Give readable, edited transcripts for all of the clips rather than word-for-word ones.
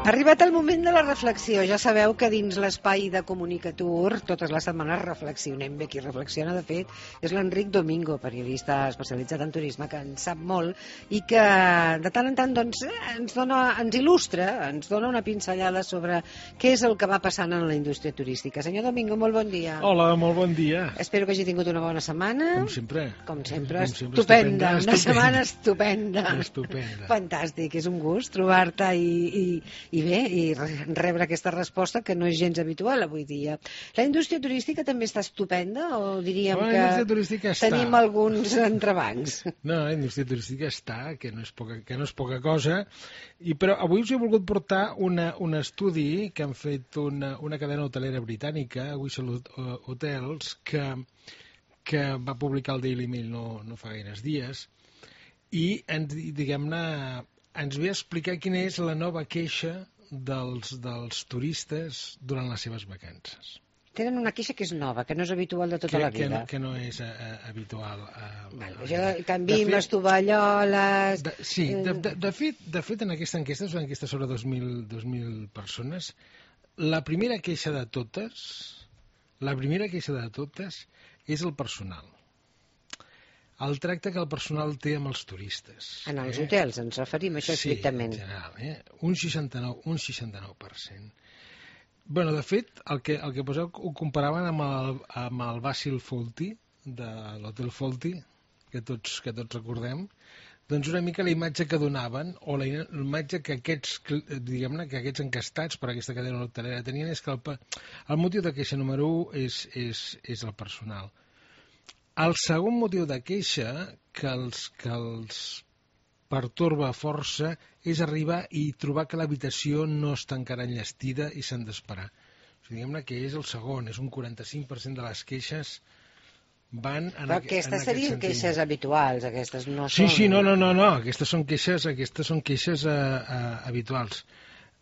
Ha arribat el moment de la reflexió. Ja sabeu que dins l'espai de Comunicatur totes les setmanes reflexionem. Bé, qui reflexiona, de fet, és l'Enric Domingo, periodista especialitzat en turisme, que en sap molt i que de tant en tant doncs, ens il·lustra, ens dona una pinzellada sobre què és el que va passant en la indústria turística. Senyor Domingo, molt bon dia. Hola, molt bon dia. Espero que hagi tingut una bona setmana. Com sempre. Com sempre, estupenda. Una setmana estupenda. Fantàstic, és un gust trobar-te i bé, i rebre aquesta resposta que no és gens habitual avui dia. La indústria turística també està estupenda o diríem que tenim alguns entrebancs? No, la indústria turística està, que no és poca cosa, però avui us he volgut portar un estudi que han fet una cadena hotelera britànica, Whistle Hotels, que va publicar el Daily Mail no fa gaires dies, i diguem-ne ens ve a explicar quina és la nova queixa dels turistes durant les seves vacances. Tenen una queixa que és nova, que no és habitual de tota la vida. Que no és habitual. Canviem les tovalloles... Sí, de fet en aquesta enquesta, és una enquesta sobre 2.000 persones, la primera queixa de totes és el personal. El tracte que el personal té amb els turistes. En els hotels ens referim a això estrictament. Sí, en general, un 69%. Bueno, de fet, el que poseu ho comparaven amb el Basil Fawlty, de l'Hotel Fawlty, que tots recordem, doncs una mica la imatge que donaven, o la imatge que aquests encastats per aquesta cadena hotelera tenien, és que el motiu de queixa número 1 és el personal. El segon motiu de queixa que els pertorba força és arribar i trobar que l'habitació no està encara enllestida i s'han d'esperar. O sigui, diguem-ne que és el segon, és un 45% de les queixes van en aquest sentit. Aquestes serien queixes habituals, aquestes no són... Sí, no, aquestes són queixes habituals.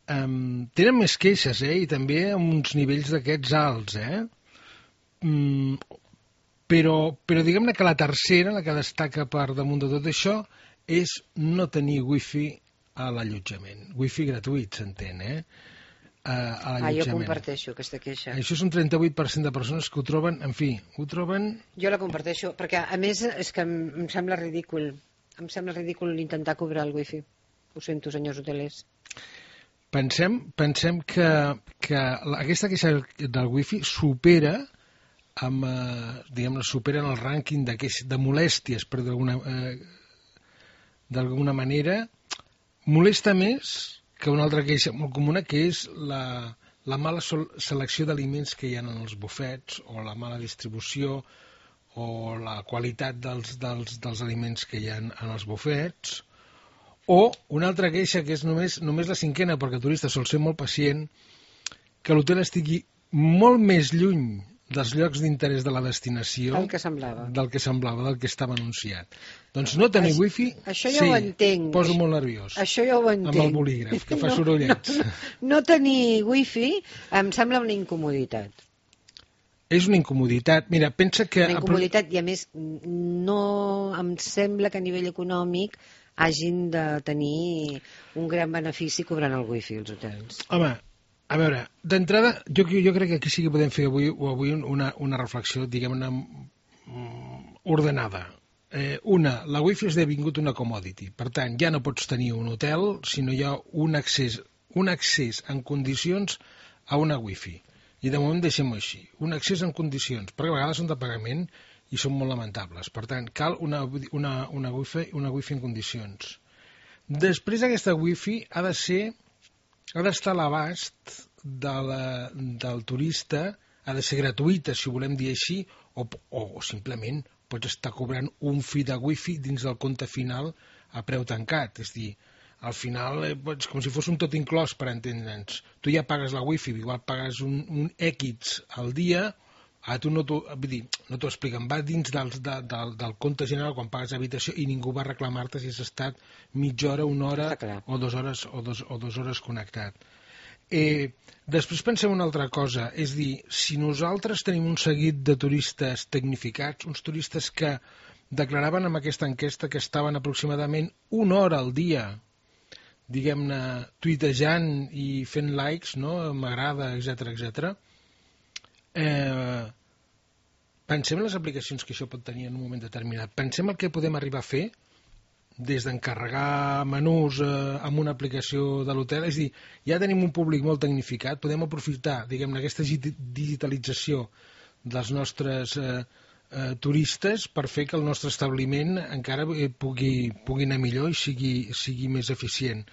Tenen més queixes, i també amb uns nivells d'aquests alts, Però diguem-ne que la tercera, la que destaca per damunt de tot això, és no tenir wifi a l'allotjament. Wifi gratuït, s'entén, a l'allotjament. Jo comparteixo aquesta queixa. Això és un 38% de persones que ho troben, en fi, ho troben... Jo la comparteixo, perquè a més és que em sembla ridícul. Em sembla ridícul intentar cobrar el wifi. Ho sento, senyors hotelers. Pensem que aquesta queixa del wifi supera superen el rànquing de molèsties, per d'alguna manera, molesta més que una altra queixa molt comuna, que és la mala selecció d'aliments que hi ha en els bufets, o la mala distribució, o la qualitat dels aliments que hi ha en els bufets, o una altra queixa, que és només la cinquena, perquè el turista sol ser molt pacient, que l'hotel estigui molt més lluny dels llocs d'interès de la destinació del que semblava, del que estava anunciat. Doncs no tenir wifi, això ja ho entenc. Poso molt nerviós. Això ja ho entenc. Amb el bolígraf, que fa sorollets. No tenir wifi em sembla una incomoditat. És una incomoditat. Mira, pensa que... Una incomoditat, i a més no em sembla que a nivell econòmic hagin de tenir un gran benefici cobrant el wifi als hotels. Home, a veure, d'entrada, jo crec que aquí sí que podem fer avui una reflexió, diguem-ne, ordenada. La wifi ha esdevingut una commodity. Per tant, ja no pots tenir un hotel si no hi ha un accés en condicions a una wifi. I de moment deixem-ho així. Un accés en condicions, perquè a vegades són de pagament i són molt lamentables. Per tant, cal una wifi en condicions. Després aquesta wifi ha d'estar a l'abast del turista, ha de ser gratuïta, si ho volem dir així, o simplement pots estar cobrant un fi de wifi dins del compte final a preu tancat. És a dir, al final, com si fos un tot inclòs, per entendre'ns. Tu ja pagues la wifi, igual pagues un X al dia, tu no t'ho expliquen, va dins del compte general quan pagues habitació i ningú va reclamar-te si has estat mitja hora, una hora o 2 hores connectat. Després pensem una altra cosa, és dir, si nosaltres tenim un seguit de turistes tecnificats, uns turistes que declaraven en aquesta enquesta que estaven aproximadament 1 hora al dia diguem-ne, tuitejant i fent likes, no? M'agrada, etc. Pensem en les aplicacions que això pot tenir en un moment determinat. Pensem el que podem arribar a fer des d'encarregar menús amb una aplicació de l'hotel. És a dir, ja tenim un públic molt tecnificat, podem aprofitar, diguem-ne, aquesta digitalització dels nostres turistes per fer que el nostre establiment encara pugui anar millor i sigui més eficient.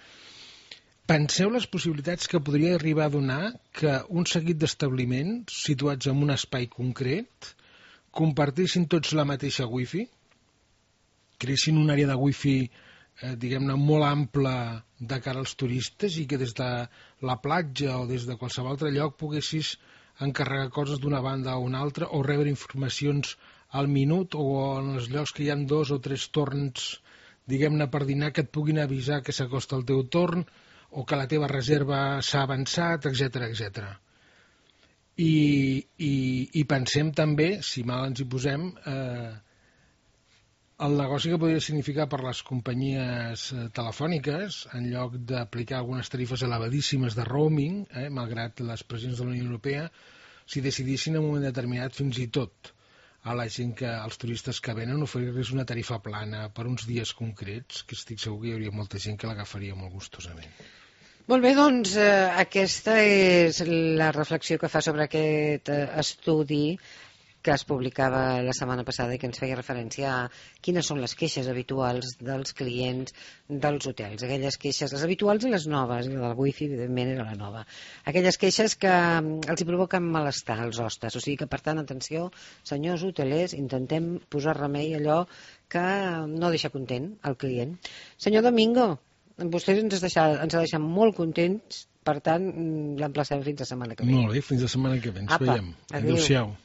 Penseu les possibilitats que podria arribar a donar que un seguit d'establiments situats en un espai concret compartissin tots la mateixa wifi, creessin una àrea de wifi diguem-ne molt ampla de cara als turistes i que des de la platja o des de qualsevol altre lloc poguessis encarregar coses d'una banda a una altra o rebre informacions al minut o en els llocs que hi ha 2 o 3 torns diguem-ne per dinar que et puguin avisar que s'acosta el teu torn o que la teva reserva s'ha avançat, etc. I pensem també, si mal ens hi posem, el negoci que podria significar per les companyies telefòniques, en lloc d'aplicar algunes tarifes elevadíssimes de roaming, malgrat les pressions de la Unió Europea, si decidissin en un moment determinat fins i tot a la gent als turistes que venen oferir-los una tarifa plana per uns dies concrets, que estic segur que hi hauria molta gent que l'agafaria molt gustosament. Molt bé, doncs aquesta és la reflexió que fa sobre aquest estudi que es publicava la setmana passada i que ens feia referència a quines són les queixes habituals dels clients dels hotels. Aquelles queixes, les habituals i les noves, i la del wifi evidentment era la nova. Aquelles queixes que els hi provoquen malestar als hostes. O sigui que, per tant, atenció, senyors hotelers, intentem posar remei a allò que no deixa content el client. Senyor Domingo, vostè ens ha deixat molt contents, per tant, l'emplacem fins la setmana que ve. Molt bé, fins la setmana que ve. Ens veiem. Adéu-siau.